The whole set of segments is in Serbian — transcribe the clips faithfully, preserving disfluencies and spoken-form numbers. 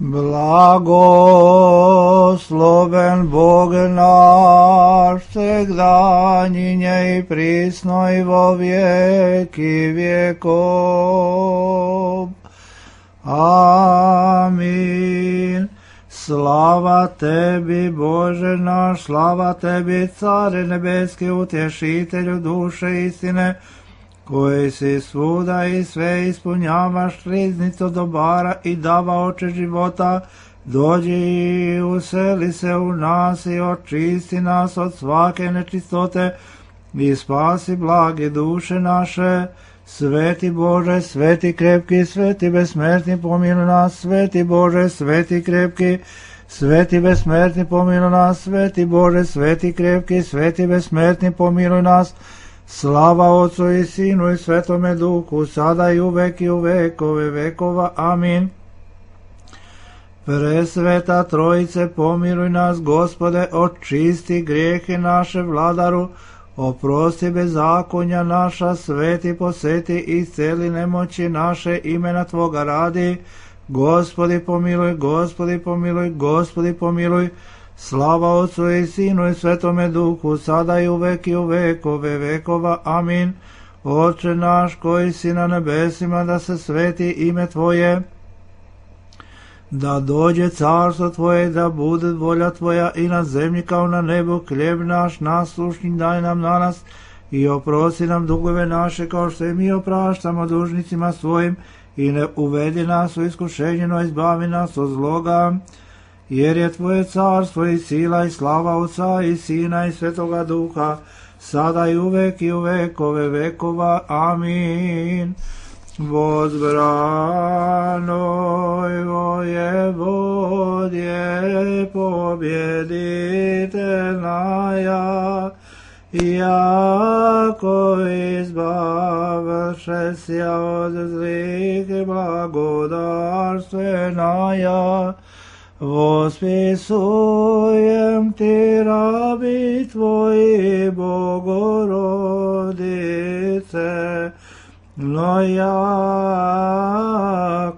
Blagosloven Bog naš, всегда и присно и во веки веков. Амин. Slava tebi, Bože naš, slava tebi, Care nebeski, utješitelju duše istine, koji si svuda i sve ispunjavaš, riznicu dobara i davaoče života, dođi i useli se u nas i očisti nas od svake nečistote i spasi blage duše naše. Sveti Bože, sveti krepki, sveti besmrtni, pomiluj nas, sveti Bože, sveti krepki, sveti besmrtni, pomiluj nas, sveti Bože, sveti krepki, sveti besmrtni, pomiluj nas. Slava Otcu i Sinu i Svetome Duhu, sada i uvek i u vekove vekova. Amin. Presveta Trojice, pomiluj nas, Gospode, očisti grijehe naše, Vladaru, oprosti bezakonja naša, sveti poseti i isceli nemoći naše, imena Tvoga radi. Gospodi pomiluj, Gospodi pomiluj, Gospodi pomiluj. Slava Otcu i Sinu i Svetome Duhu, sada i uvek i u vekove vekova. Amin. Oče naš koji si na nebesima, da se sveti ime Tvoje, da dođe carstvo Tvoje, da bude volja Tvoja i na zemlji kao na nebu. Hljeb naš naslušni daj nam danas i oprosti nam dugove naše kao što i mi opraštamo dužnicima svojim, i ne uvedi nas u iskušenje, no izbavi nas od zloga. Jer je Tvoje carstvo i sila i slava Otca i Sina i Svetoga Duha, sada i uvek i u vekove vekova. Amin. Возбранoj воеводje побjeditelnaja, jako izbavše sja od zlih blagodarstvenaja. Vospisujem ti, rabi Tvoji, Bogorodice, no ja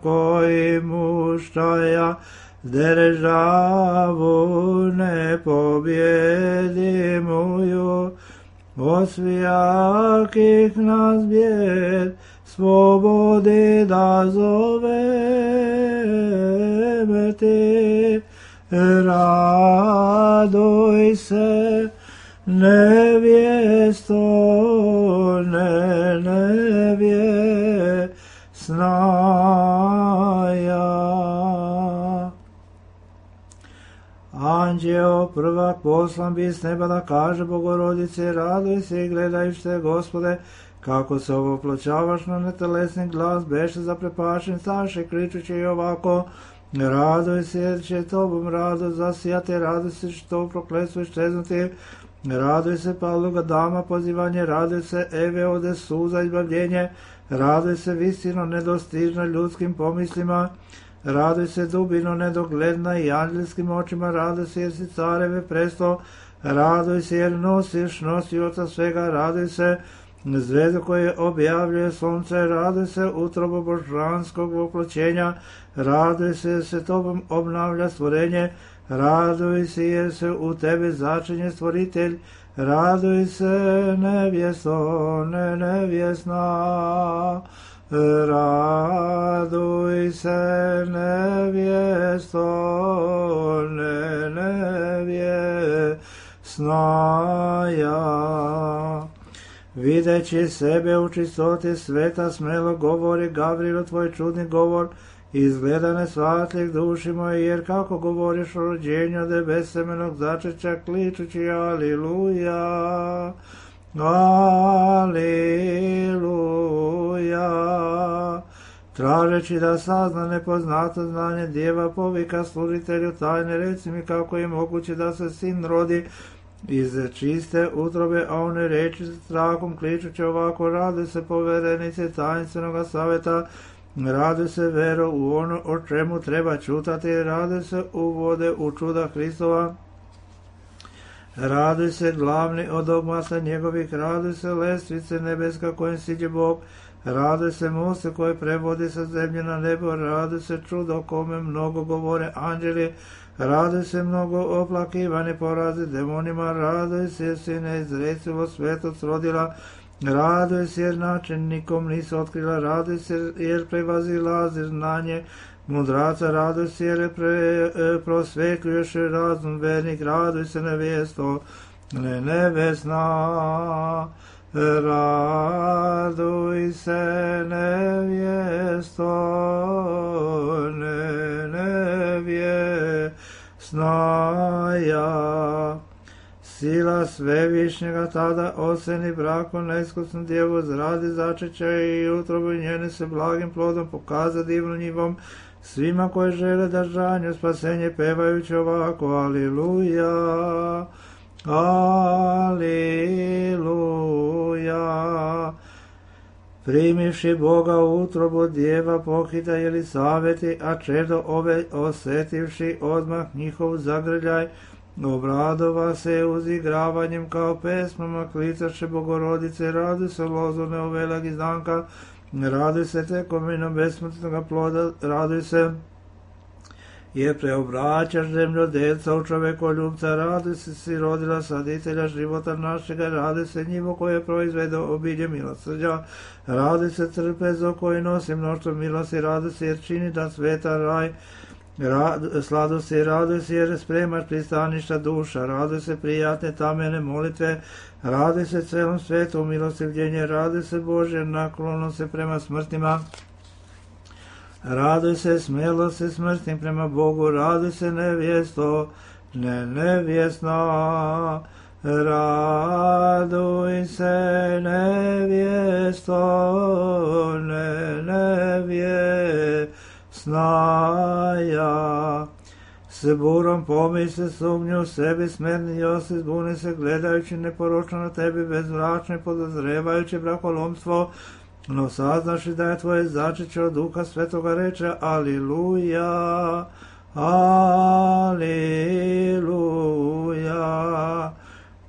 koji muštaja državu ne pobjedimuju, osvijakih nas bjed slobodi da zoveme ti. Raduj se, nevjesto, ne nevjesnaja. Anđeo prvak poslan bi s neba da kaže Bogorodice, raduj se i gledajušte, Gospode, kako se ovoploćavaš na netelesni glas, beše zaprepašen, staše kričući i ovako: raduj se jer će Tobom radost zasijati, raduj se što prokletstvo iščeznuti, raduj se Pavloga dama pozivanje, raduj se Eve ode suza izbavljenje, raduj se visino nedostižna ljudskim pomislima, raduj se dubino nedogledna i anđelskim očima, raduj se jer si careve presto, raduj se jer nosiš nosioca svega, raduj se zvezdu koje objavljuje sunce, raduj se utrobo božanskog voploćenja, raduj se jer se Tobom obnavlja stvorenje, raduj se jer se u Tebe začinje stvoritelj, raduj se nevjesto, ne nevjesna, raduj se nevjesto, ne nevjesnaja. Videći sebe u čistoti sveta, smelo govori Gavrilo tvoj čudni govor, izgleda nesvatljeg duši moje, jer kako govoriš o rođenju od bezsemenog začeća, kličući aliluja, aliluja. Tražeći da sazna nepoznato znanje djeva, povika služitelju tajne, reci mi kako je moguće da se sin rodi iz čiste utrobe, a one reči s strahom kličući ovako: rade se poverenice tajinstvenoga saveta, rade se vero u ono o čemu treba čutati, rade se uvode u čuda Hristova, rade se glavni od ogmasa njegovih, rade se lestvice nebeska kojim siđe Bog, Raduj se moste koje prevodi sa zemlje na nebo, raduj se čudo kome mnogo govore anđeli, raduj se mnogo oplakivane porazi demonima, raduj se jer si neizrecivo svetost rodila, raduj se jer način nikom nisu otkrila, raduj se jer prevazilazi znanje mudraca, raduj se jer pre, prosvetljuješ razum vernik, raduj se nevjesto, ne nevesna. Raduj se nevjesto, ne nevjesnaja. Sila svevišnjega tada oseni brakom neiskusnu djevu zradi začeća i utrobu njene se blagim plodom pokaza divnu njivom svima koji žele držanju spasenje pevajući ovako aliluja. Aliluja. Primivši Boga u utrobu djeva pohita Jelisaveti, a čedo ove osetivši odmah njihov zagrljaj, obradova se uzigravanjem kao pesmama, klicaše Bogorodice, raduj se lozo neovelag izdanka, raduj se tekominom besmrtnog ploda, raduj se jer preobraćaš zemljodelca u čovekoljubca, raduj se si rodila saditelja života našega, raduj se njivo koje proizvede obilje milosrđa, raduj se trpezo koji nosi mnoštvo milosti, raduj se jer čini da sveta raj, sladu se, raduj se jer spremaš pristaništa duša, raduj se prijatne tamene molitve, raduj se celom svetu u milostivljenje, raduj se Bože naklonom se prema smrtima, raduj se smjelo se smrtnim prema Bogu, raduj se nevjesto, ne nevjesna, raduj se nevjesto, ne nevjesnaja. Se burom pomisli sumnju sebi smernio se, zbuni se gledajući neporočno na tebi bezmračno i podozrevajući brakolomstvo, no saznaši da je tvoje začeće od Duha Svetoga reče aliluja, aliluja.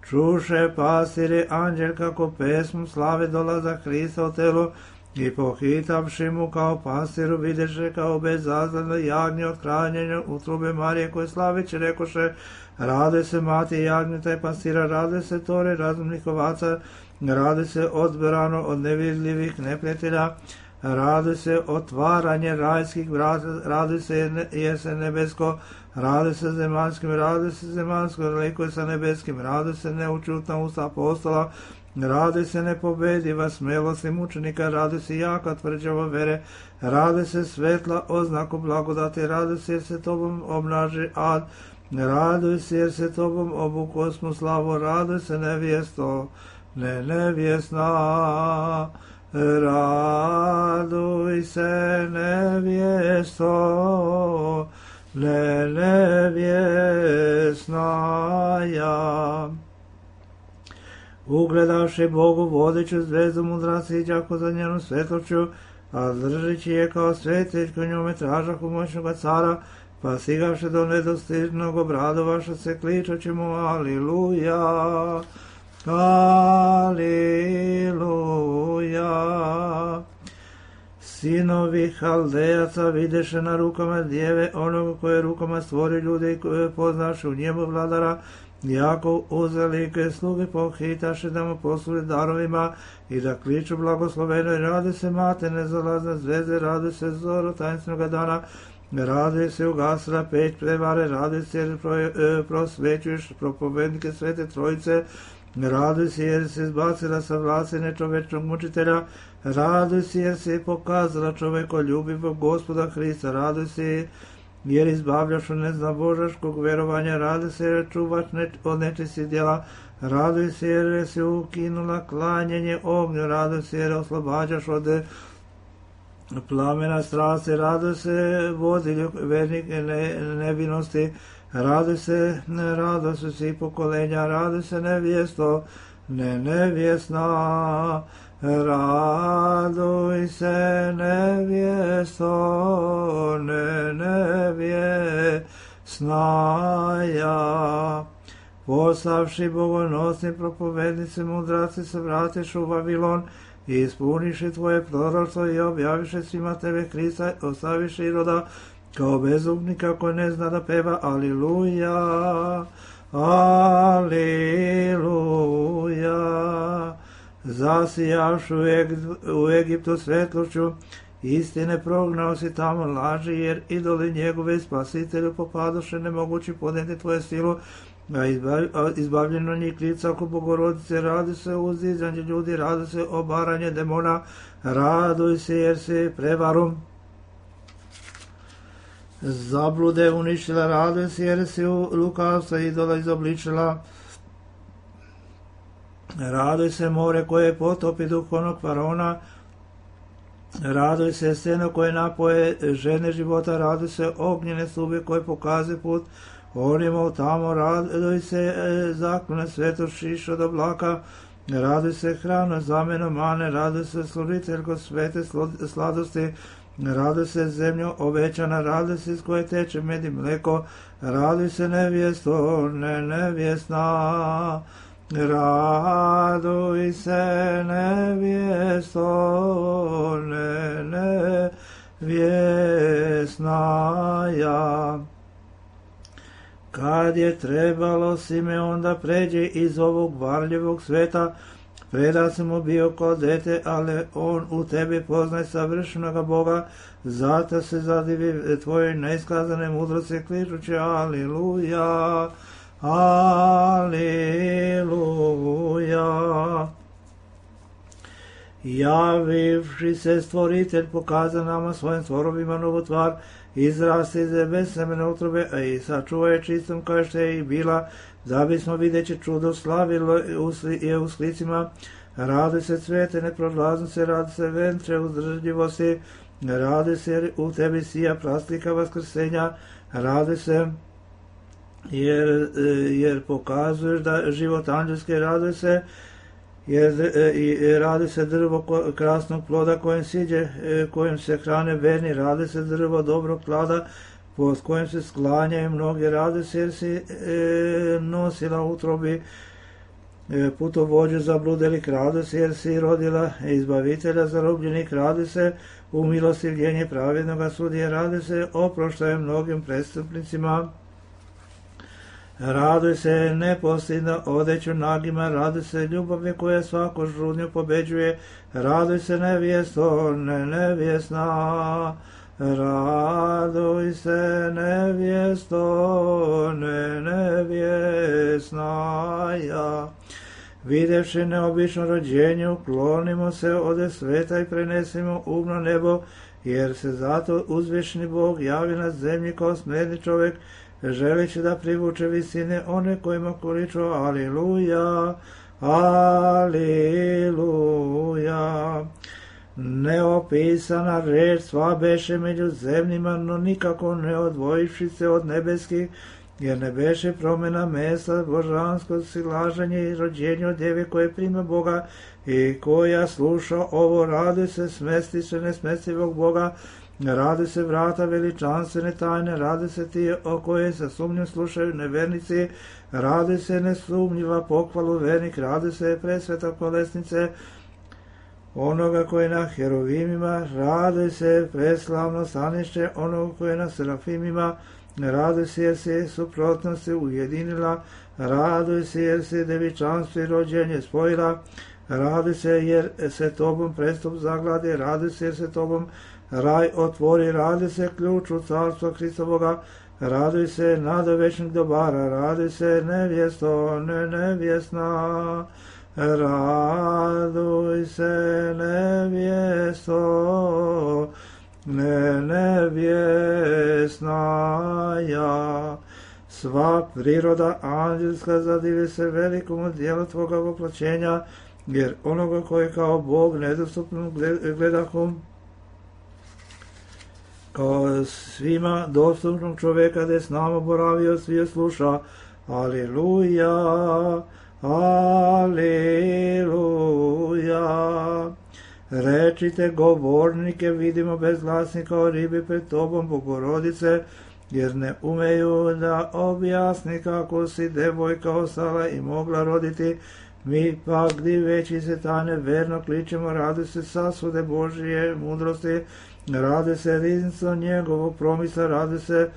Čuše pastiri anđel kako pesmu slave dolaza Hrista u telu i pohitavši mu kao pastiru videše kao bezazleno jagnje od hranjenja utrube Marije koje slaveći rekoše raduj se mati jagnjeta i pastira, raduj se tore razumnih ovaca, raduj se odbrano od nevidljivih neprijatelja, raduj se otvaranje rajskih vrata, raduj se jese nebesko, raduj se zemaljskim, raduj se zemaljsko, likuj sa nebeskim, raduj se neučutna usta apostola, raduj se nepobediva smelosti mučenika, raduj se jaka tvrđava vere, raduj se svetla oznaku blagodati, raduj se jer se tobom obnaži ad, raduj se jer se tobom obukosmu slavu, raduj se nevjesto, ne nevjesna, raduj se nevjesto, ne nevjesnaja. Ugledavši Bogu vodeću zvezdu mudraci i đako za njenu svetlošću, a držeći je kao svetiljku njome tražahu moćnoga cara, pa stigavši do nedostižnog obradovaša se kličući mu aliluja, aliluja. Sinovi Haldejaca videše na rukama djeve onoga koje rukama stvori ljude i koje poznaše u njemu vladara, jako uzelike sluge pohitaše da mu posluži darovima i da kliču blagosloveno i radi se mate nezalazne zvezde, radi se zoro tajnstvenog dana, radi se ugasila peć prevare, radi se jer prosvećuješ propovednike Svete Trojice, raduj se jer se izbacila sa vlasti nečovečnog mučitelja, raduj se jer se pokazala čovekoljubivog Gospoda Hrista, raduj se jer izbavljaš od neznabožaškog verovanja, raduj se jer čuvaš neč, od nečistih djela, raduj se jer se ukinula klanjenje ognju, raduj se jer oslobađaš od plamena strasti, raduj se vodilju vernik ne, nevinosti, raduj se, raduj se svi pokolenja, raduj se nevjesto, ne nevjesna, raduj se nevjesto, ne nevjesnaja. Poslavši bogonosni propovednici mudraci se vratiš u Vavilon i ispuniše tvoje proroštvo i objaviše svima tebe Krista, ostaviše Iroda kao bezumnika koji ne zna da peva. Aliluja, aliluja. Zasijavši u, Eg- u Egiptu svetlošću istine, prognao si tamo laži, jer idoli njegove spasitelju popadoše nemogući podneti tvoje silu, a, izbav, a izbavljeno njih lica oko Bogorodice. Radi se o uzdizanju ljudi, radi se o baranje demona, raduj se jer si prevarom zablude uništila, raduj se jer si u lukavstva idola izobličila. Raduj se more koje potopi duhovnog faraona, raduj se seno koje napoje žene života, raduj se ognjene stube koje pokaze put onima tamo, raduj se e, zaklone svetošiš od oblaka, raduj se hrana zameno mane, raduj se sluditeljko svete sladosti, raduj se zemljo ovećana, raduj se iz koje teče med i mleko, raduj se nevjesto, ne nevjesna, raduj se nevjesto, ne nevjesna ja. Kad je trebalo Simeon da pređe iz ovog varljivog sveta, preda se mu bio kao dete, ali on u tebi poznaj savršenoga Boga, zato se zadivi tvoje neiskazane mudrosti, kličući aliluja, aliluja. Javivši se stvoritelj pokaza nama svojim stvorovima novu tvar, izrasti iz bez semena utrobe, a i sačuvaj čistom kao što je i bila, da bismo videći čudo slavilo je u slicima. Radi se cvete neprolaznice, radi se ventre uzdržljivosti, radi se u tebi sija praslika vaskrsenja, radi se jer, jer pokazuješ da život anđelske, radi se jer i radi se drvo krasnog ploda kojem siđe, kojem se hrane verni, radi se drvo dobrog plada pod kojim se sklanjaju mnogi, radi se jer si e, nosila utrobi e, putovođu zabludelik, radi se jer si rodila izbavitelja zarobljenih, radi se u milostivljenje pravednoga sudije, radi se oproštaje mnogim prestupnicima. Raduj se neposljedno odeću nagima, raduj se ljubavi koja svaku žudnju pobeđuje, raduj se nevjesto, ne nevjesna, raduj se nevjesto, ne nevjesna ja. Videvši neobično rođenje, uklonimo se ode sveta i prenesimo umno nebo, jer se zato uzvišni Bog javi na zemlji kao smjerni čovjek, želeći da privuče visine one kojima količu aliluja, aliluja. Neopisana reč sva beše među zemljima, no nikako ne odvojivši se od nebeskih, jer ne beše promjena mesa, božansko silaženje i rođenje od djeve koje prima Boga i koja sluša ovo, radi se smesti se nesmestivog Boga, radi se vrata veličanstvene tajne, radi se ti o koje sa sumnjom slušaju nevernici, radi se nesumnjiva pohvalu vernik, radi se presveta kolesnice onoga koji na herovimima, radi se preslavno stanište onoga koji na serafimima, radi se jer se suprotnosti ujedinila, radi se jer se devičanstvo i rođenje spojila, radi se jer se tobom prestup zagladi, radi se jer se tobom raj otvori, radi se ključ u carstvo Hristovoga, raduj se nada večnih dobara, raduj se nevjesto, ne nevjesna, raduj se nevjesto, ne nevjesna ja. Sva priroda anđelska zadivi se velikom dijelu tvoga voplaćenja, jer onoga koji kao Bog nedostupno gledahom, kao svima dostupnog čovjeka da je s nama boravio, svi sluša. Aliluja, aliluja. Rečite govornike, vidimo bezglasni kao ribi pred tobom, Bogorodice, jer ne umeju da objasni kako si devojka ostala i mogla roditi, Mi pak diveći se tajne verno kličemo, raduj se sasude Božije mudrosti, raduj se riznicom njegovog promisla, raduj se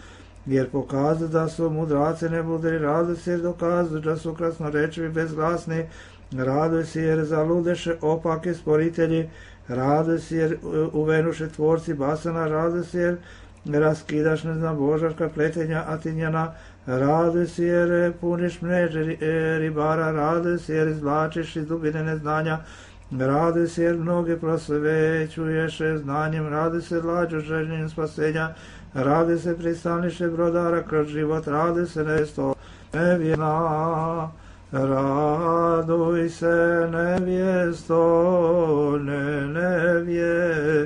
jer pokazuju da su mudraci nebudri, raduj se jer dokazuju da su krasnorečivi bezglasni, raduj se jer zaludeše opake sporitelji, raduj se jer uvenuše tvorci basana, raduj se jer raskidaš neznabožaška pletenja Atinjana, raduj se jer puniš mreže ribara, raduj se jer izvlačiš iz dubine neznanja, raduj se jer mnoge prosvećuješ znanjem, raduj se lađu željenjem spasenja, raduj se pristaniše brodara kroz život, raduj se nesto nevjerna, raduj se nevjesto, ne nevjesnaja.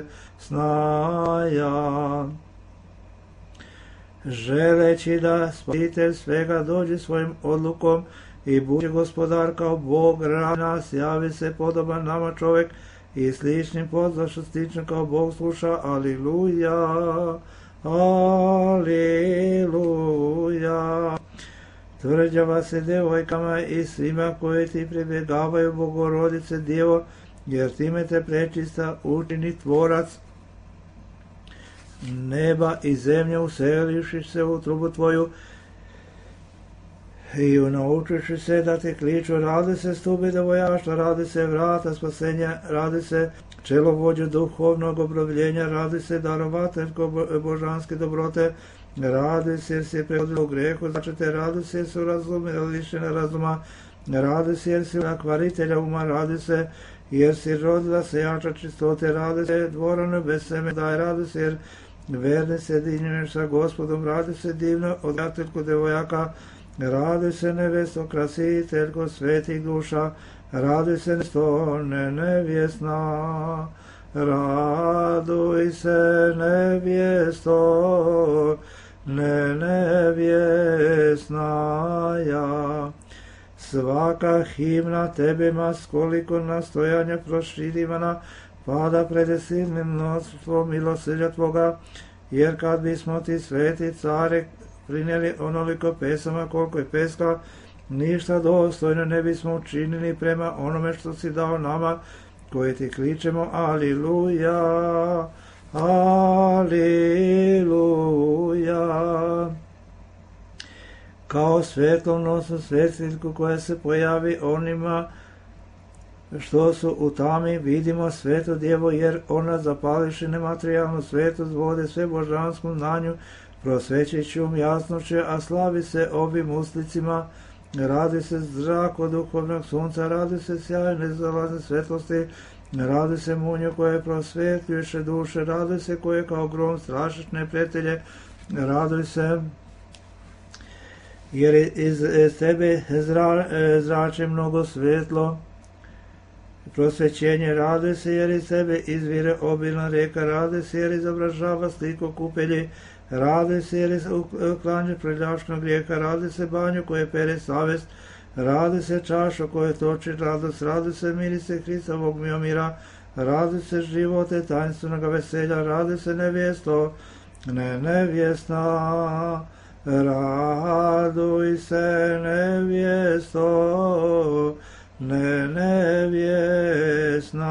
Želeći da spasitelj svega dođe svojim odlukom i bude gospodar kao Bog radi nas, javi se podoban nama čovjek i sličnim pozvašu slično kao Bog sluša. Aliluja, aliluja. Tvrđava se devojkama i svima koji ti pribjegavaju, Bogorodice Djevo, jer time te prečista učini tvorac neba i zemlje, uselivši se u trubu tvoju i naučiši se da te kliču, radi se stubi devojaštva, radi se vrata spasenja, radi se čelovođu duhovnog obrovljenja, radi se darovateljko božanske dobrote, radi se jer si prehodila u grehu začete, radi se jer su razumeli lišena razuma, radi se jer si akvaritelja uma, radi se jer si rodila sejača čistote, radi se dvorano bez seme daj, radi se jer verni se dinjuješ sa Gospodom, radi se divno odgateljko devojaka, radi se nevesto krasiteljko svetih duša, radi se nesto ne nevjesna, raduj se nevjesto ne nevjesnaja. Svaka himna tebima s koliko nastojanja proširivana pada pred silnim mnoštvom milosrđa tvoga, jer kad bismo ti sveti care prinijeli onoliko pesama koliko je peska, ništa dostojno ne bismo učinili prema onome što si dao nama, koje ti kličemo aliluja, aliluja. Kao svetlomnosnu svjetiljku koja se pojavi onima što su u tami, vidimo svetu djevo, jer ona zapališi nematerijalnu svetost vode sve božanskom znanju, prosvećeći um jasnošće, a slavi se ovim uslicima, radi se zrak od duhovnog sunca, radi se sjaj nezalazne svetlosti, radi se munju koje prosvetljuše duše, radi se koje kao grom strašiš neprijatelje, radi se jer iz tebe zra, zrače mnogo svetlo, prosvećenje, radi se jer iz tebe izvire obilna reka, radi se jer izobražava sliku kupelji, radi se jer uklanja preljašnog grijeha, radi se banju koje pere savest, radi se čašu koje toči radost, radi se mirise Hristovog mira, radi se živote tajnstvenog veselja, radi se nevjesto ne nevjesna, raduj se nevjesto ne nevjesnaja.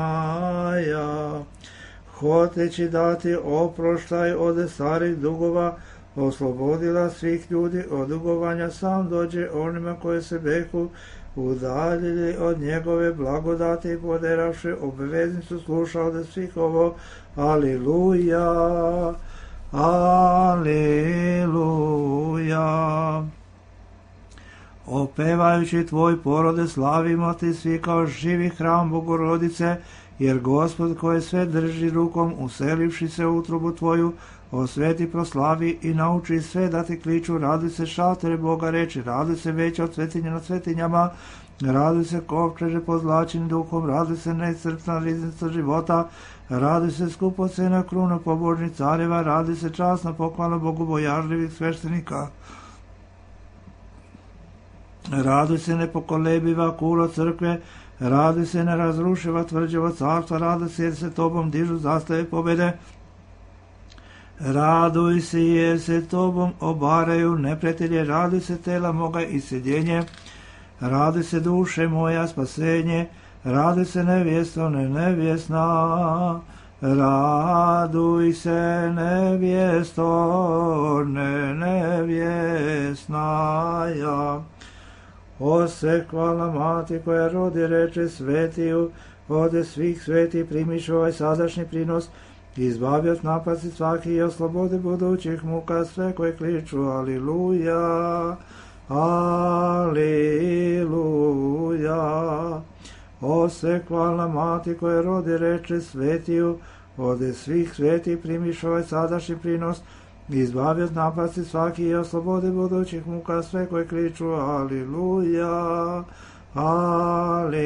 Hoteći dati oproštaj od starih dugova, oslobodila svih ljudi od dugovanja, sam dođe onima koje se behu udaljili od njegove blagodati i poderavši obveznicu sluša od svih ovo. Aliluja, aliluja. Opevajući tvoj porode slavimo ti svi kao živi hram Bogorodice, jer Gospod koje sve drži rukom, uselivši se u utrubu tvoju, osveti, proslavi i nauči sve da ti kliču, radi se šatere Boga reči, radi se veća od svetinja nad svetinjama, radi se kovčeže pozlačeni duhom, radi se neiscrpna riznica života, radi se skupocena kruna pobožnih careva, radi se časna pohvala bogobojažljivih sveštenika. Radi se nepokolebiva kula crkve, radi se nerazrušiva tvrđava carstva, radi se jer se tobom dižu zastave pobjede, raduj se jer se tobom obaraju neprijatelje, radi se tela moga i sjedjenje, Raduj se duše moja spasenje, raduj se nevjesto ne nevjesna, raduj se nevjesto ne nevjesnaja. O se hvala mati koja rodi reče svetiju, ode svih sveti primiš ovaj sadašnji prinos, izbavi od napasti svaki i oslobodi budućih muka sve koje kliču aliluja, aliluja. O se hvala mati koja rodi reče svetiju, ode svih sveti primiš ovaj sadašnji prinos, izbavi od napasti svaki i oslobodi budućih muka sve koje kliču aliluja, aliluja.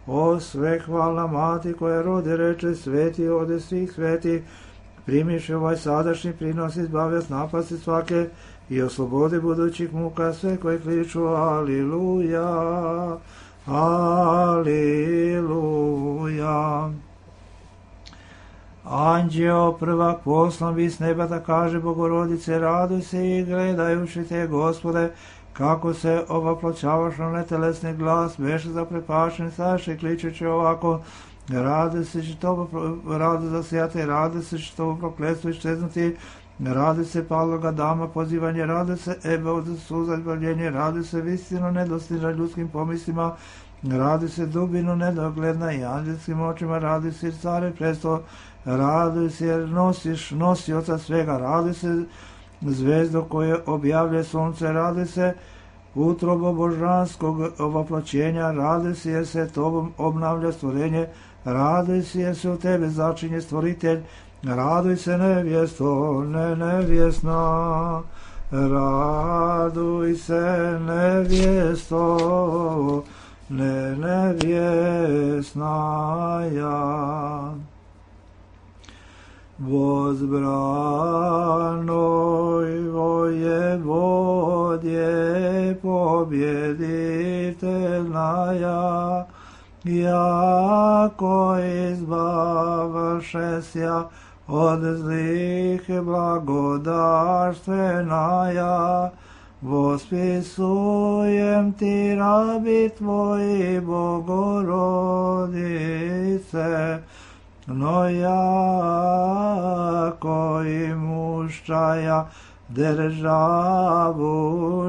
O sve hvala mati koja rodi reče sveti, ode svih sveti primiš ovaj sadašnji prinos, izbavi od napasti svake i oslobodi budućih muka sve koje kliču aliluja, aliluja. Anđeo prvak poslan bi s neba da kaže Bogorodice, raduj se i gledajući te, Gospode, kako se ovaploćavaš na netelesni glas, beše zaprepašen, saše kličeći ovako, rade se što rade zasijate, rade se što prokletstvo iščeznuti, rade se paloga dama pozivanje, rade se ebe od suza izbavljenje, rade se vistinu nedostižna ljudskim pomislima, radi se dubinu nedogledna i anđelskim očima, radi se care presto, radi se jer nosiš nosioca svega, radi se zvezdo koje objavlja sunce, radi se utrobo božanskog ovaploćenja, radi se jer se tobom obnavlja stvorenje, radi se jer se u tebe začinje stvoritelj, raduj se nevjesto, ne nevjesna, raduj se nevjesto, ne nevjesnaja. Возбранoj воеводje победительная, яко избавшеся od zlih blagodarstveная, vospisujem ti rabi tvoji, Bogorodice, no jako i muščaja državu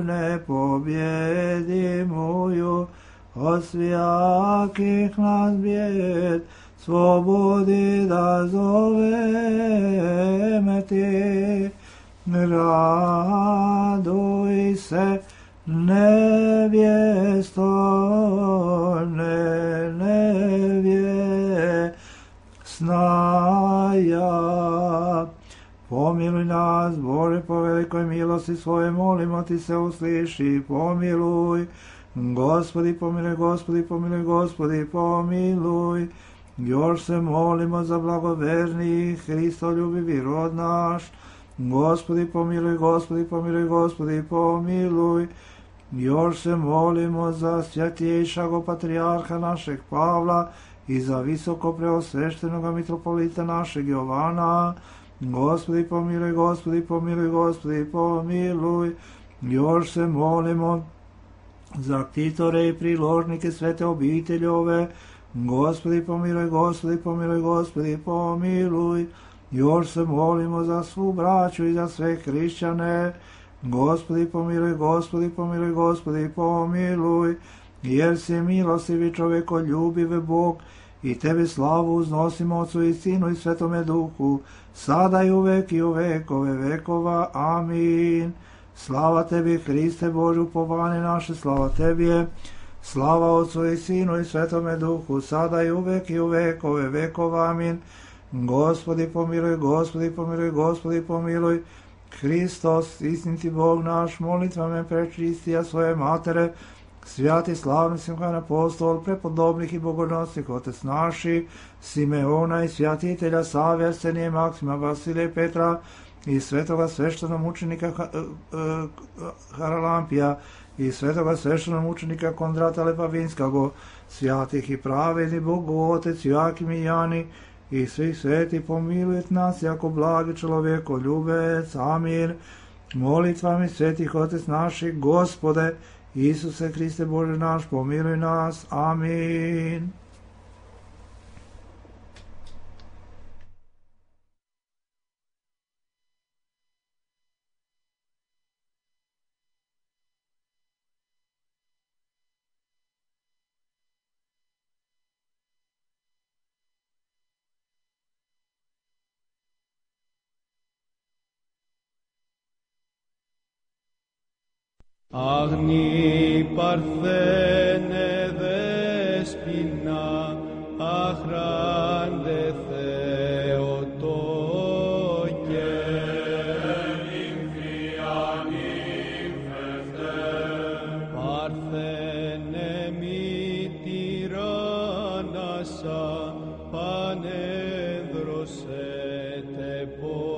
nepobjedimuju, od svijakih nas bijed slobodi da zoveme ti. Raduj se nevjesto, ne nevjesnaja. Pomiluj nas, Bože, po velikoj milosti svoje, molimo ti se, usliši, pomiluj. Gospodi, pomiluj, Gospodi, pomiluj, Gospodi, pomiluj. Još se molimo za blagoverni Hristoljubivi rod naš. Gospodi, pomiluj, Gospodi, pomiluj, Gospodi, pomiluj. Još se molimo za svjatjejšago patrijarha našeg Pavla i za visoko preosveštenoga mitropolita našeg Jovana. Gospodi, pomiluj, Gospodi, pomiluj, Gospodi, pomiluj. Još se molimo za ktitore i priložnike svete obiteljove. Gospodi, pomiluj, Gospodi, pomiluj, Gospodi, pomiluj. Još se molimo za svu braću i za sve hrišćane. Gospodi, pomiluj, Gospodi, pomiluj, Gospodi, pomiluj. Jer si milostivi čovekoljubiv Bog, i tebi slavu uznosimo Otcu i Sinu i Svetome Duhu, sada i uvek i u vekove vekova. Amin. Slava tebi, Hriste Bože, upovanje naše, slava tebi je. Slava Otcu i Sinu i Svetome Duhu, sada i uvek i u vekove vekova. Amin. Gospodi, pomiluj, Gospodi, pomiluj, Gospodi, pomiluj. Hristos, istiniti Bog naš, molitvame prečistija svoje matere, svjati slavni Simhan apostol, prepodobnih i bogonosnih otec naši, Simeona i svjatitelja Save, Arsenije, Maksima, Vasilija i Petra, i svetoga sveštenog mučenika Haralampija, i svetoga sveštenog mučenika Kondrata Lepavinskago, svjatih i pravedni Bogu Otec Joakim i Jani, i svih sveti pomilujet nas jako blagi čovjeko ljubec. Amin. Molitvami svetih Otec naših, Gospode, Isuse Hriste Bože naš, pomiluj nas. Amin. Αγνή παρθένε δέσποινα, αχράντε Θεοτόκε. Παρθένε μη τυράννασα, πανέδρωσετε πόκε.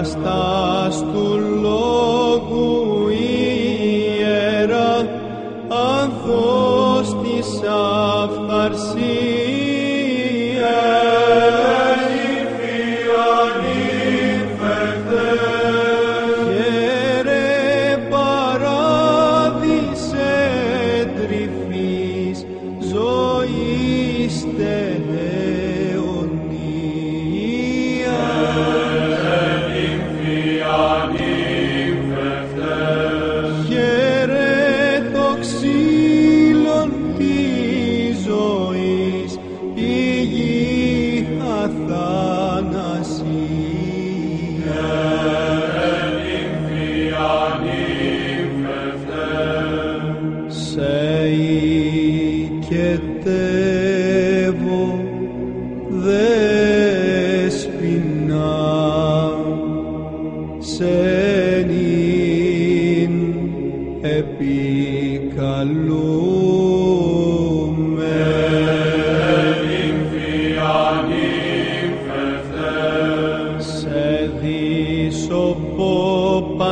Αστάς του λόγου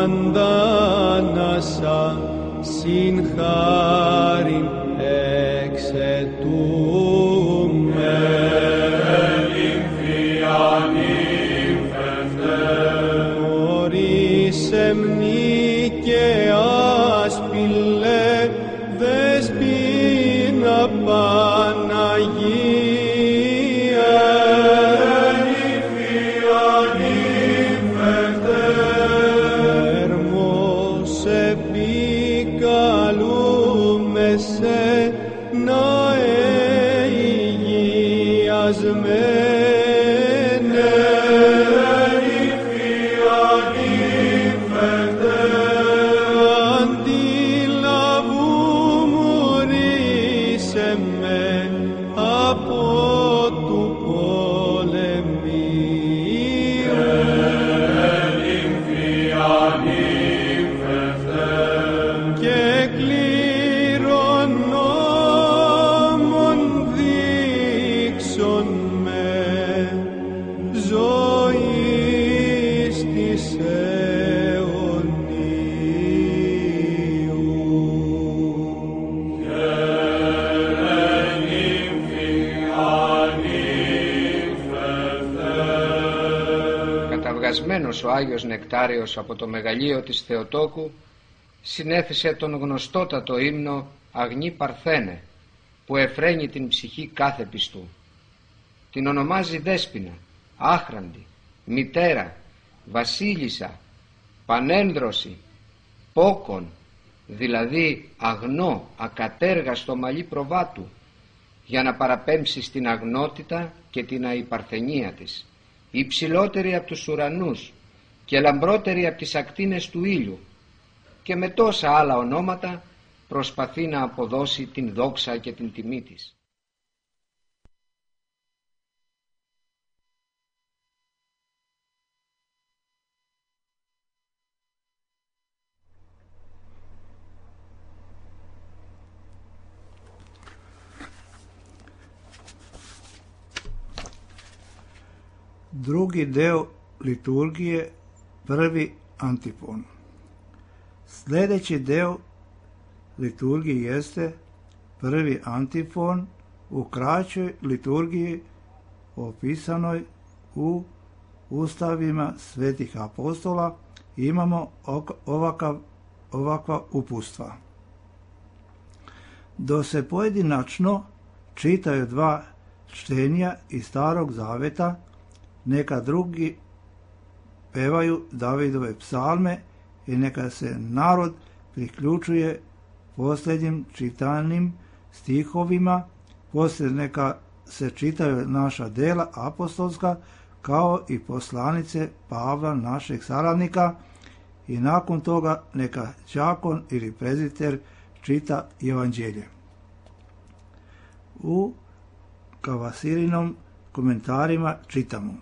αντάνασα συν χάριν εξαιτούμε. Χωρίς εμνή και άσπηλε δεσπίνα Παναγία. Ερμός επικαλούμε σε να εγιασμένε. Καταυγασμένος ο Άγιος Νεκτάριος από το μεγαλείο της Θεοτόκου, συνέθεσε τον γνωστότατο ύμνο «Αγνή Παρθένε», που εφραίνει την ψυχή κάθε πιστού. Την ονομάζει Δέσποινα, Άχραντη, Μητέρα, Βασίλισσα, Πανένδρωση, Πόκον, δηλαδή αγνό, ακατέργαστο μαλλί προβάτου, για να παραπέμψει στην αγνότητα και την αϊπαρθενία της, υψηλότερη από τους ουρανούς και λαμπρότερη από τις ακτίνες του ήλιου, και με τόσα άλλα ονόματα προσπαθεί να αποδώσει την δόξα και την τιμή της. Drugi deo liturgije, prvi antifon. Sljedeći deo liturgije jeste prvi antifon u kraćoj liturgiji opisanoj u ustavima svetih apostola. Imamo ovakav, ovakva upustva. Do se pojedinačno čitaju dva čtenja iz Starog Zaveta, neka drugi pevaju Davidove psalme i neka se narod priključuje posljednjim čitanim stihovima, poslije neka se čitaju naša dela apostolska kao i poslanice Pavla, našeg saradnika, i nakon toga neka đakon ili prezbiter čita evanđelje. U Kavasirinom komentarima čitamo: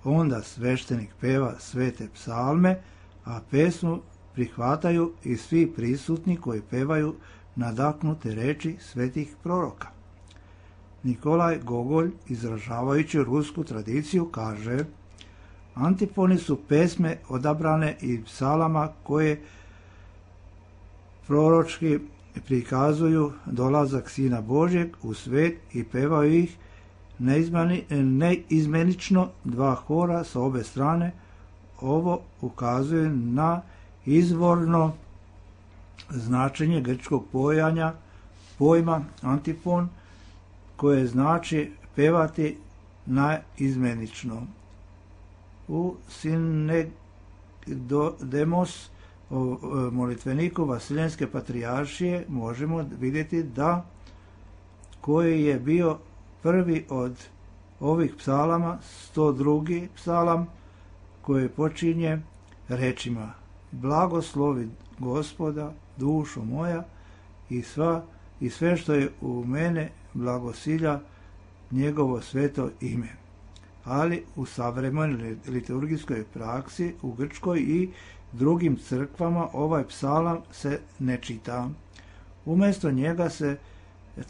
onda sveštenik peva svete psalme, a pesmu prihvataju i svi prisutni koji pevaju nadaknute reči svetih proroka. Nikolaj Gogolj, izražavajući rusku tradiciju, kaže: antifoni su pesme odabrane i psalama koje proročki prikazuju dolazak Sina Božjeg u svet i pevaju ih neizmenično dva hora sa obe strane. Ovo ukazuje na izvorno značenje grčkog pojanja, pojma antifon, koje znači pevati naizmenično. U Sinegdemos, molitveniku Vasiljenske patrijaršije, možemo vidjeti da koji je bio prvi od ovih psalama, sto drugi psalam, koji počinje rečima: blagoslovi Gospoda, dušo moja, i, sva, i sve što je u mene blagosilja njegovo sveto ime. Ali u savremenoj liturgijskoj praksi u Grčkoj i drugim crkvama ovaj psalam se ne čita. Umjesto njega se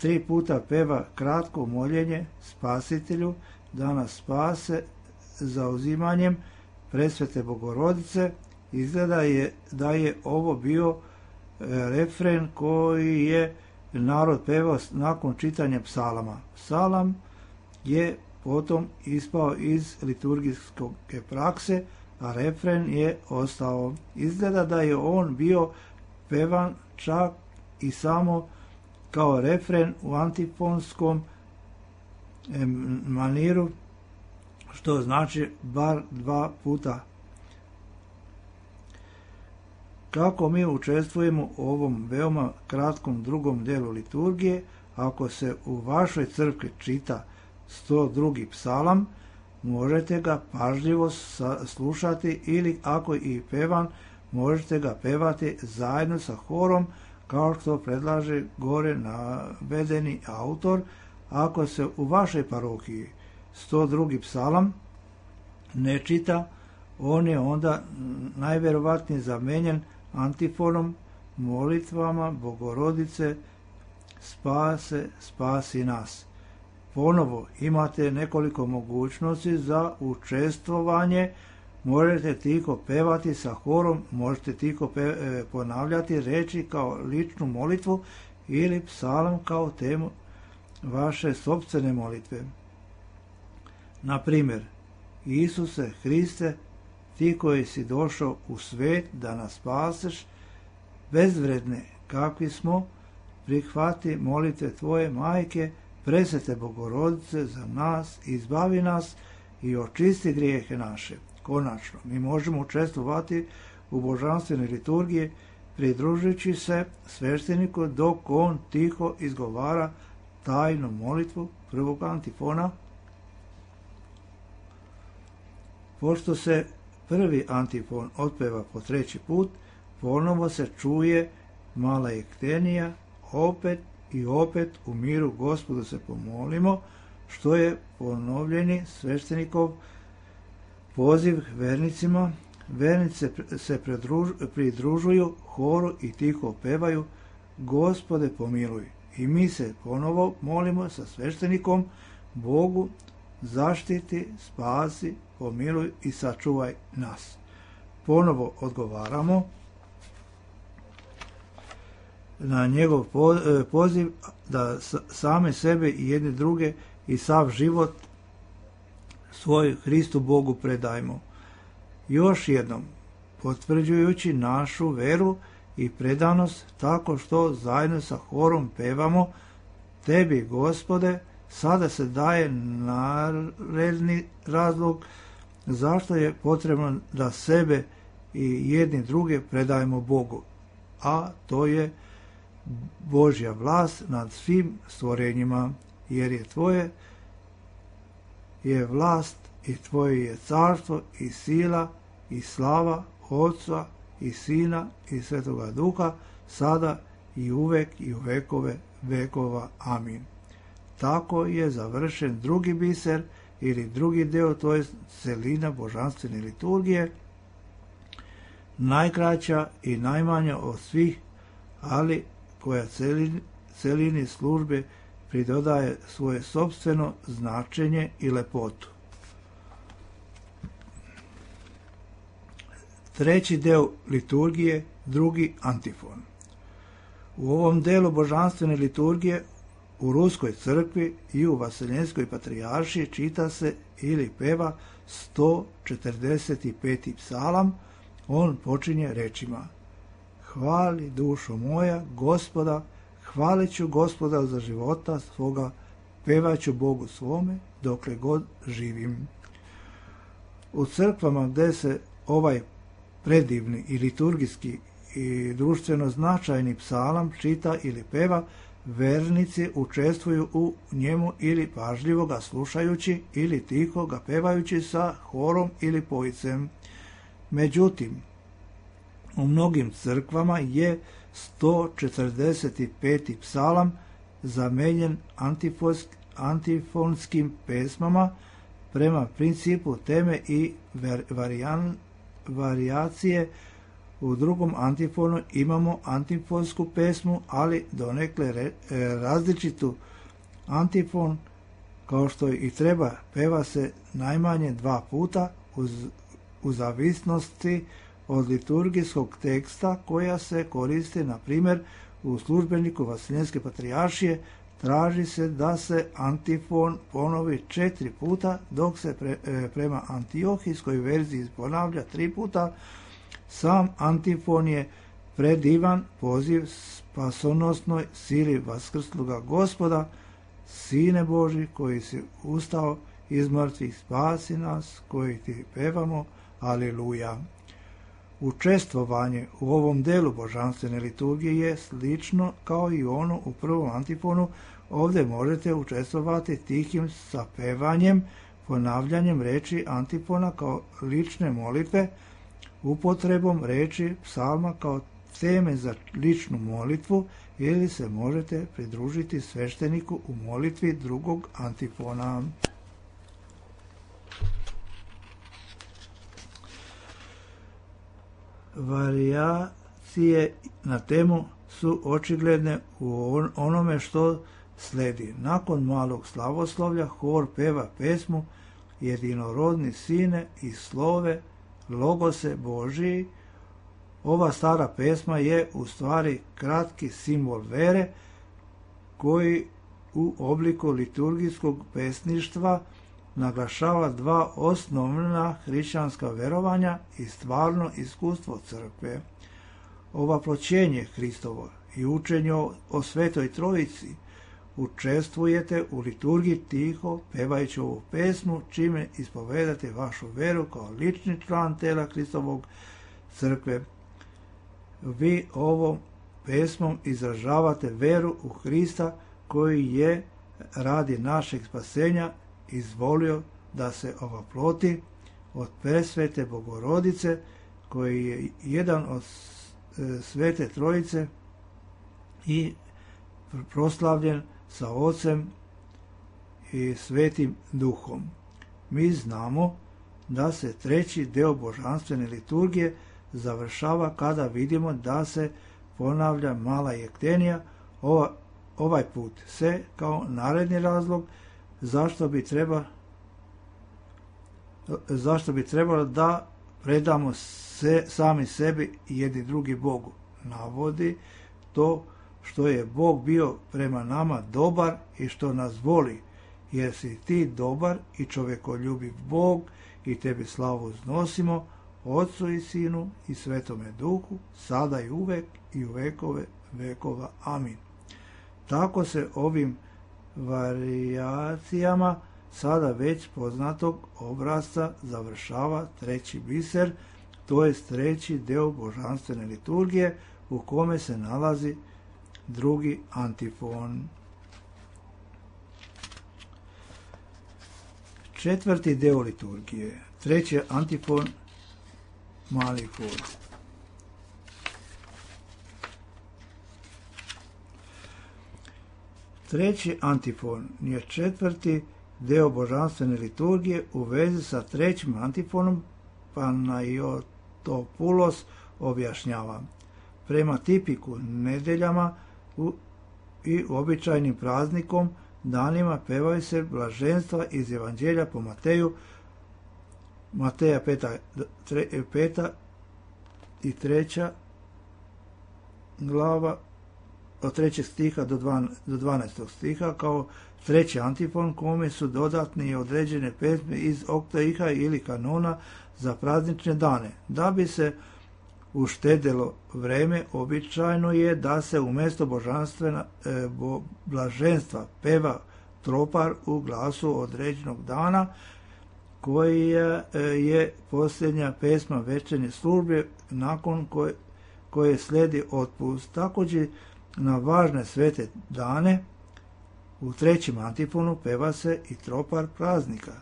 tri puta peva kratko moljenje Spasitelju da nas spase zauzimanjem Presvete Bogorodice Izgleda je da je ovo bio refren koji je narod pevao nakon čitanja psalama. Psalam je potom ispao iz liturgijske prakse, a refren je ostao. Izgleda da je on bio pevan čak i samo kao refren u antifonskom maniru, što znači bar dva puta. Kako mi učestvujemo u ovom veoma kratkom drugom delu liturgije? Ako se u vašoj crkvi čita sto drugi psalam, možete ga pažljivo slušati ili ako i pevan, možete ga pevati zajedno sa horom, kao što predlaže gore navedeni autor. Ako se u vašoj parohiji sto drugi psalam ne čita, on je onda najvjerovatnije zamenjen antifonom, molitvama Bogorodice spase, spasi nas. Ponovo imate nekoliko mogućnosti za učestvovanje. Možete tiho pevati sa horom, možete tiho pe- ponavljati reči kao ličnu molitvu ili psalam kao temu vaše sopstvene molitve. Na primjer, Isuse Hriste, ti koji si došao u svet da nas spaseš, bezvredne kakvi smo, prihvati molitve tvoje majke, presvete Bogorodice za nas, izbavi nas i očisti grijehe naše. Konačno, mi možemo učestvovati u božanstvenoj liturgiji pridružujući se svešteniku dok on tiho izgovara tajnu molitvu prvog antifona. Pošto se prvi antifon otpeva po treći put, ponovo se čuje mala ektenija, opet i opet u miru Gospodu se pomolimo, što je ponovljeni sveštenikov poziv vernicima. Vernice se pridružuju horu i tiho pevaju Gospode pomiluj. I mi se ponovo molimo sa sveštenikom Bogu zaštiti, spasi, pomiluj i sačuvaj nas. Ponovo odgovaramo na njegov poziv da same sebe i jedne druge i sav život svoj Hristu Bogu predajmo. Još jednom, potvrđujući našu veru i predanost tako što zajedno sa horom pevamo Tebi, Gospode, sada se daje naredni razlog zašto je potrebno da sebe i jedni druge predajemo Bogu, a to je Božja vlast nad svim stvorenjima, jer je tvoje je vlast i tvoje je carstvo i sila i slava Otca i Sina i Svetoga Duha, sada i uvek i u vekove vekova. Amin. Tako je završen drugi biser ili drugi deo, to je celina božanstvene liturgije, najkraća i najmanja od svih, ali koja celini, celini službe pridodaje svoje sopstveno značenje i lepotu. Treći deo liturgije, drugi antifon. U ovom delu božanstvene liturgije u Ruskoj crkvi i u Vaseljenskoj patrijaršiji čita se ili peva sto četrdeset peti psalam. On počinje rečima: Hvali dušo moja Gospoda, hvalit ću Gospoda za života svoga, pevaću Bogu svome dokle god živim. U crkvama gde se ovaj predivni i liturgijski i društveno značajni psalam čita ili peva, vernici učestvuju u njemu ili pažljivo ga slušajući ili tiho ga pevajući sa horom ili pojicem. Međutim, u mnogim crkvama je sto četrdeset peti psalam zamenjen antifonskim pesmama prema principu teme i varijan, varijacije. U drugom antifonu imamo antifonsku pesmu, ali donekle re, različitu. Antifon, kao što i treba, peva se najmanje dva puta uz, u zavisnosti od liturgijskog teksta koja se koriste, na primjer, u službeniku Vaseljenske patrijaršije, traži se da se antifon ponovi četiri puta, dok se pre, e, prema antiohijskoj verziji ponavlja tri puta. Sam antifon je predivan poziv spasonosnoj sili vaskrsluga Gospoda, Sine Boži koji si ustao iz mrtvih, spasi nas koji ti pevamo, aleluja. Učestvovanje u ovom delu božanstvene liturgije je slično kao i ono u prvom antifonu. Ovdje možete učestvovati tihim sapevanjem, ponavljanjem reči antifona kao lične molitve, upotrebom reči psalma kao teme za ličnu molitvu, ili se možete pridružiti svešteniku u molitvi drugog antifona. Varijacije na temu su očigledne u onome što sledi. Nakon malog slavoslovlja hor peva pesmu Jedinorodni Sine i slove Logose Božiji. Ova stara pesma je u stvari kratki simbol vere koji u obliku liturgijskog pesništva naglašava dva osnovna hrišćanska verovanja i stvarno iskustvo crkve. Ovaploćenje Hristovo i učenje o Svetoj Trojici učestvujete u liturgiji tiho, pevajući ovu pesmu, čime ispovedate vašu veru kao lični član tela Hristovog crkve. Vi ovom pesmom izražavate veru u Hrista koji je radi našeg spasenja izvolio da se ovaploti od presvete Bogorodice, koji je jedan od Svete Trojice i proslavljen sa Ocem i Svetim Duhom. Mi znamo da se treći deo božanstvene liturgije završava kada vidimo da se ponavlja mala jektenija, ova, ovaj put se kao naredni razlog zašto bi treba zašto bi trebalo da predamo se, sami sebi i jedni drugi Bogu. Navodi to što je Bog bio prema nama dobar i što nas voli, jer si ti dobar i čovekoljubiv Bog i tebi slavu uznosimo, Otcu i Sinu i Svetome Duhu, sada i uvek i u vekove vekova. Amin. Tako se ovim varijacijama sada već poznatog obrasca završava treći biser, to je treći deo božanstvene liturgije u kome se nalazi drugi antifon. Četvrti deo liturgije, treći antifon, mali hor. Treći antifon je četvrti deo božanstvene liturgije u vezi sa trećim antifonom. Panajotopoulos objašnjava. Prema tipiku nedeljama u, i običajnim praznikom danima pevaju se blaženstva iz Evanđelja po Mateju, Mateja peta, tre, peta i treća glava od trećeg stiha do, dvan, do dvanaestog stiha kao treći antifon, kome su dodatne i određene pesme iz oktahiha ili kanona za praznične dane. Da bi se uštedelo vreme, običajno je da se umjesto božanstvena e, bo, blaženstva peva tropar u glasu određenog dana, koja e, je posljednja pesma večernje službe nakon koje, koje slijedi otpust. Također na važne svete dane u trećem antifonu peva se i tropar praznika.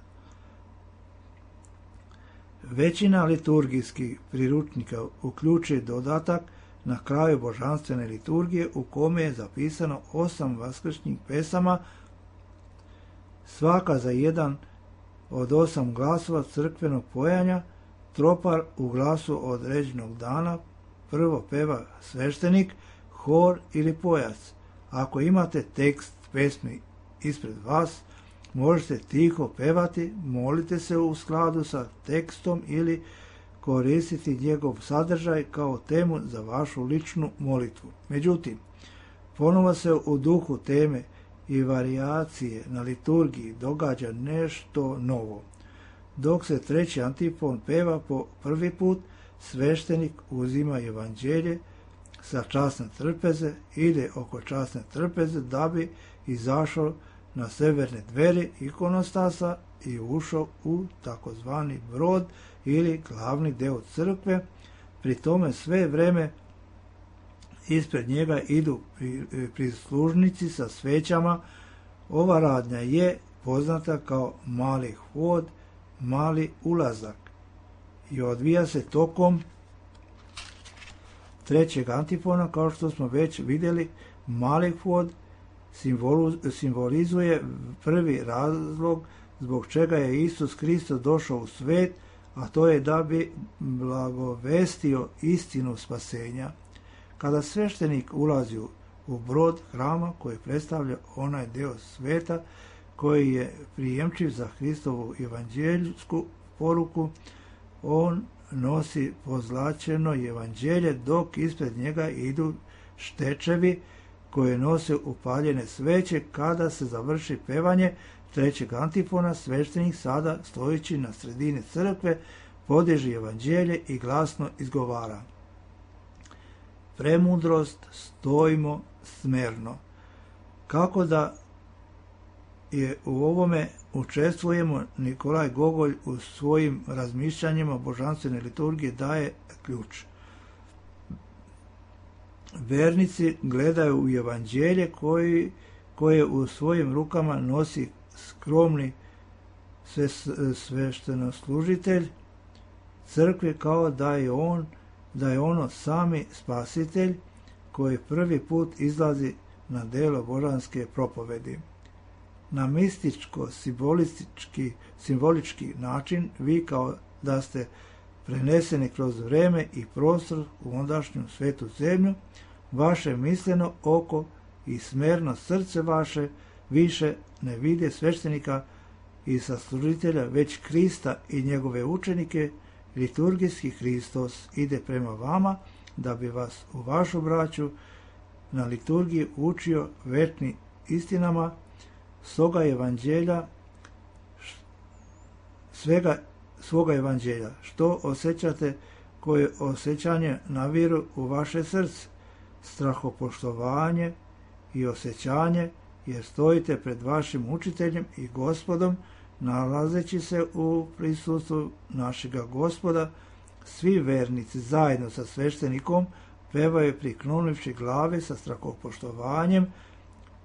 Većina liturgijskih priručnika uključuje dodatak na kraju božanstvene liturgije u kome je zapisano osam vaskršnjih pesama, svaka za jedan od osam glasova crkvenog pojanja. Tropar u glasu određenog dana prvo peva sveštenik, hor ili pojac. Ako imate tekst pesmi ispred vas, možete tiho pevati, molite se u skladu sa tekstom ili koristiti njegov sadržaj kao temu za vašu ličnu molitvu. Međutim, ponovo se u duhu teme i varijacije na liturgiji događa nešto novo. Dok se treći antifon peva po prvi put, sveštenik uzima evanđelje sa časne trpeze, ide oko časne trpeze da bi izašao na severne dveri ikonostasa i ušao u takozvani brod ili glavni deo crkve. Pri tome sve vreme ispred njega idu prislužnici sa svećama. Ova radnja je poznata kao mali hod, mali ulazak i odvija se tokom trećeg antifona. Kao što smo već vidjeli, mali hod simbolizuje prvi razlog zbog čega je Isus Hristos došao u svet, a to je da bi blagovestio istinu spasenja. Kada sveštenik ulazi u brod hrama koji predstavlja onaj deo sveta koji je prijemčiv za Hristovu evanđeljsku poruku, on nosi pozlačeno evanđelje, dok ispred njega idu štečevi koje nose upaljene sveće. Kada se završi pevanje trećeg antifona, sveštenik sada, stojeći na sredini crkve, podiže evanđelje i glasno izgovara: premudrost, stojimo smerno. Kako da je u ovome učestvujemo, Nikolaj Gogolj u svojim razmišljanjima božanstvene liturgije daje ključ. Vernici gledaju u evanđelje koji, koje u svojim rukama nosi skromni sveštenoslužitelj crkve, kao da je on da je ono sami spasitelj koji prvi put izlazi na delo božanske propovedi. Na mističko-simbolistički simbolički način vi kao da ste preneseni kroz vreme i prostor u ondašnju svetu zemlju, vaše misleno oko i smerno srce vaše više ne vide sveštenika i saslužitelja, već Krista i njegove učenike. Liturgijski Hristos ide prema vama da bi vas u vašu braću na liturgiji učio večnim istinama svoga evanđelja, svega svoga evanđelja. Što osjećate, koje osjećanje naviru u vaše srce, strahopoštovanje i osjećanje, jer stojite pred vašim učiteljem i Gospodom, nalazeći se u prisustvu našega Gospoda. Svi vernici zajedno sa sveštenikom pevaju priklonivši glave sa strahopoštovanjem: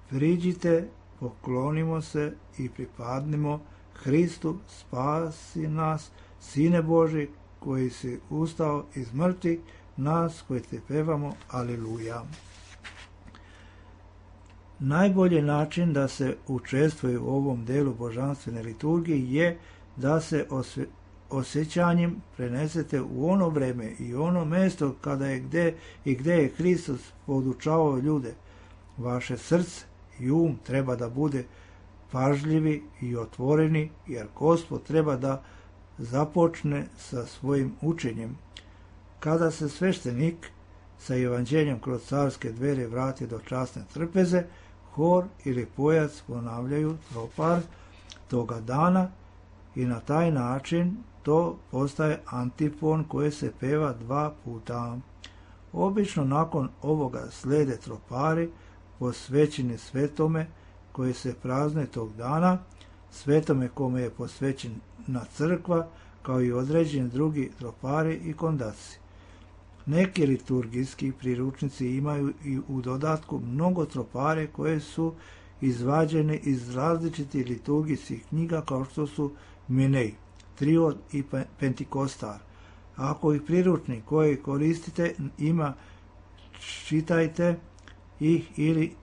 priđite, poklonimo se i pripadnimo Hristu, spasi nas, Sine Boži, koji si ustao iz mrtvih, nas koji te pevamo aleluja. Najbolji način da se učestvuje u ovom delu božanstvene liturgije je da se osve, osjećanjem prenesete u ono vreme i ono mesto kada je gde i gde je Hristos podučavao ljude. Vaše srce i um treba da bude pažljivi i otvoreni, jer Gospod treba da započne sa svojim učenjem. Kada se sveštenik sa evanđeljem kroz carske dvere vrati do časne trpeze, hor ili pojac ponavljaju tropar toga dana i na taj način to postaje antifon koji se peva dva puta. Obično nakon ovoga slede tropari posvećeni svetome koji se prazne tog dana, svetome kome je posvećena crkva, kao i određeni drugi tropari i kondaci. Neki liturgijski priručnici imaju i u dodatku mnogo tropare koje su izvađene iz različitih liturgijskih knjiga, kao što su Minej, Triod i Pentikostar. Ako ih priručnik koji koristite ima, čitajte ih ili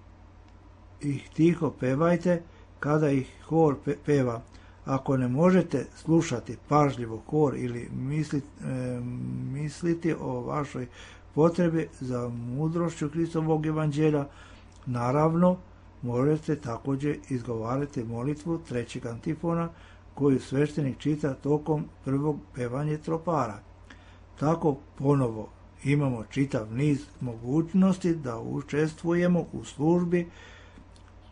ih tiho pevajte kada ih hor peva. Ako ne možete slušati pažljivo hor ili misliti, e, misliti o vašoj potrebi za mudrošću Hristovog evanđelja, naravno možete također izgovarati molitvu trećeg antifona koju sveštenik čita tokom prvog pevanja tropara. Tako ponovo imamo čitav niz mogućnosti da učestvujemo u službi.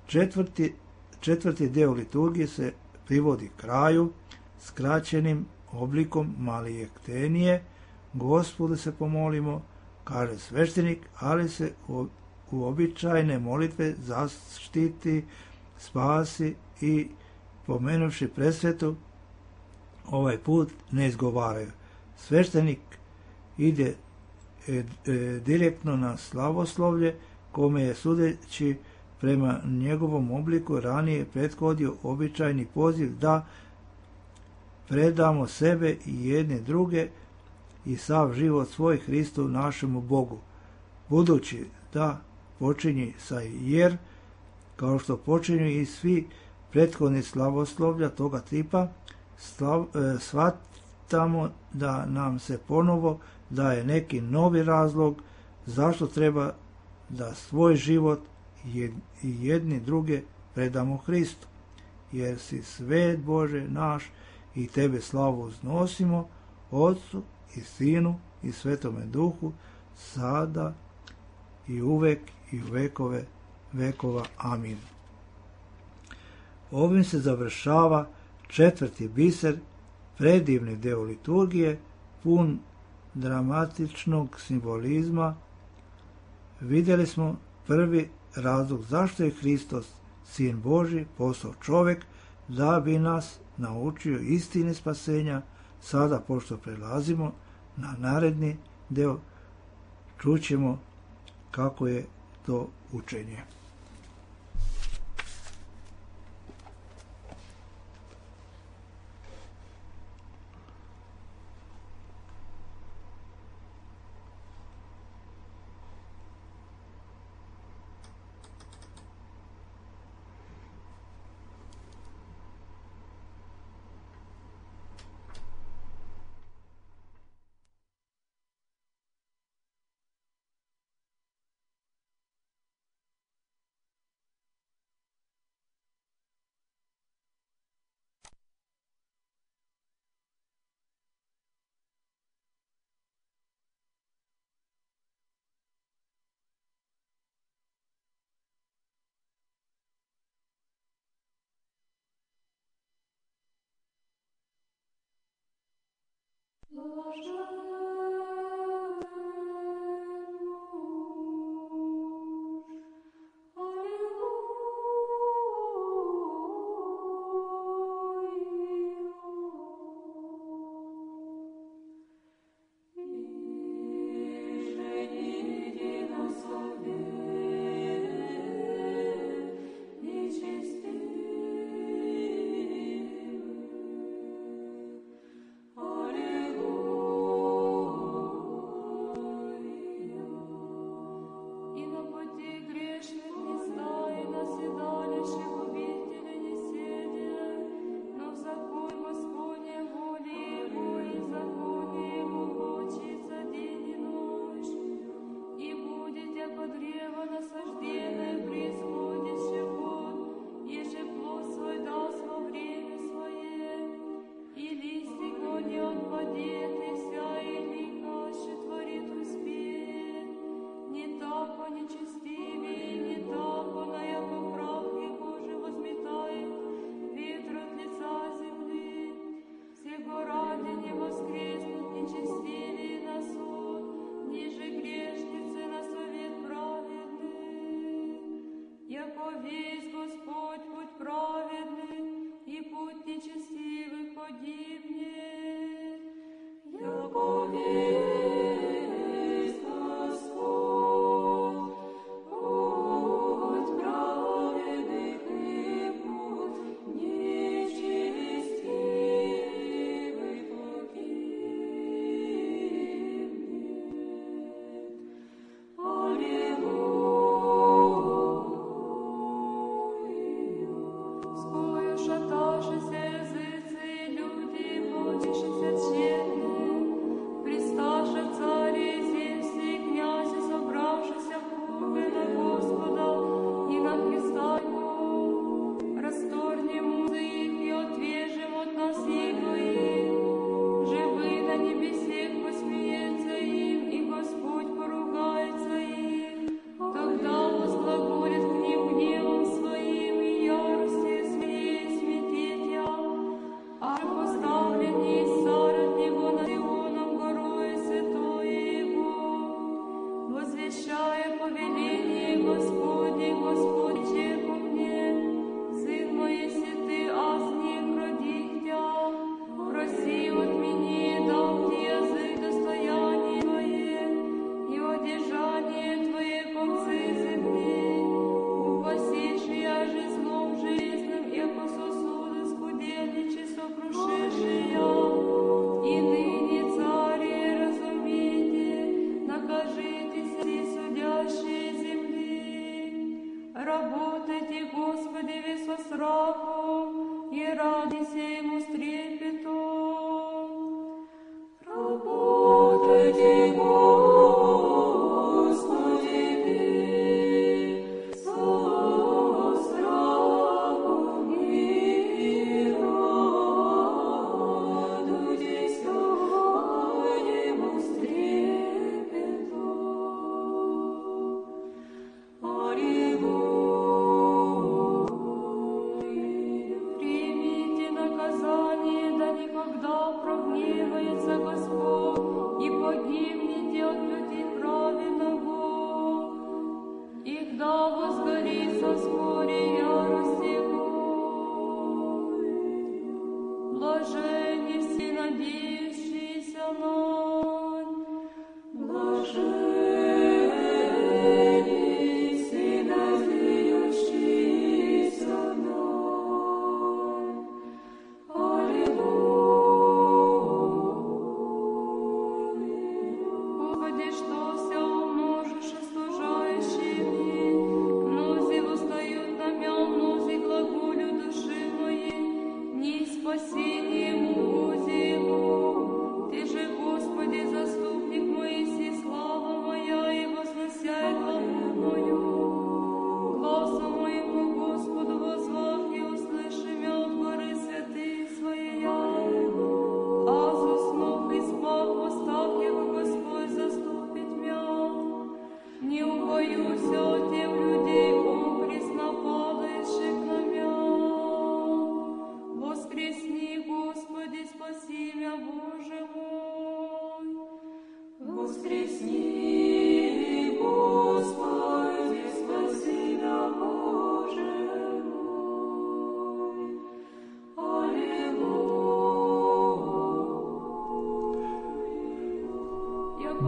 Četvrti, četvrti deo liturgije se privodi kraju skraćenim oblikom malijektenije. Gospodu se pomolimo, kaže sveštenik, ali se u uobičajene molitve zaštiti, spasi i pomenuvši presvetu ovaj put ne izgovaraju. Sveštenik ide e, e, direktno na slavoslovlje, kome je sudeći prema njegovom obliku ranije prethodio običajni poziv da predamo sebe i jedne druge i sav život svoj Hristu našemu Bogu. Budući da počinje sa jer, kao što počinju i svi prethodni slavoslovlja toga tipa, slav, e, shvatamo da nam se ponovo daje neki novi razlog zašto treba da svoj život i jedni druge predamo Hristu. Jer si svet Bože naš i tebe slavu uznosimo, Otcu i Sinu i Svetome Duhu, sada i uvek i u vekove vekova. Amin. Ovim se završava četvrti biser, predivni deo liturgije, pun dramatičnog simbolizma. Vidjeli smo prvi razlog zašto je Hristos, Sin Božji, postao čovjek, da bi nas naučio istine spasenja. Sada, pošto prelazimo na naredni deo, čućemo kako je to učenje.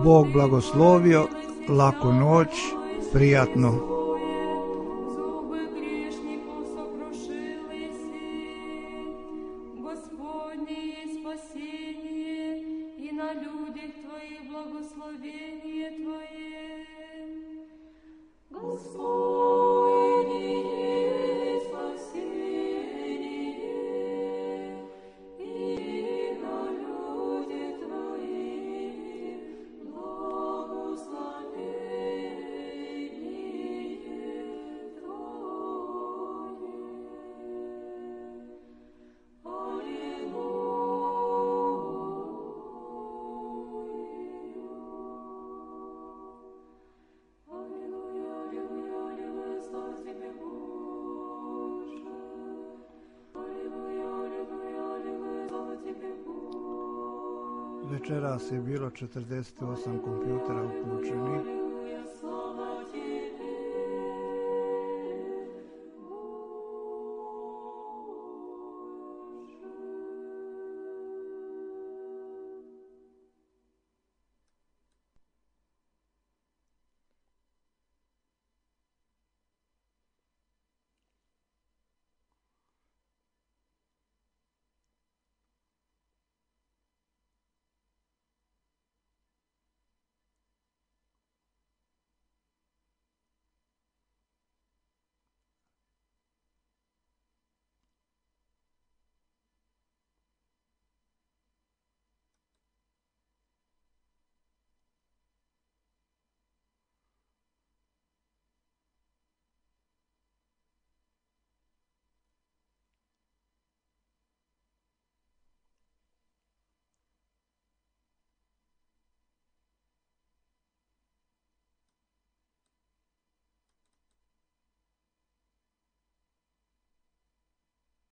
Bog blagoslovio, laku noć, prijatno. Večeras je bilo četrdeset osam kompjutera uključenih.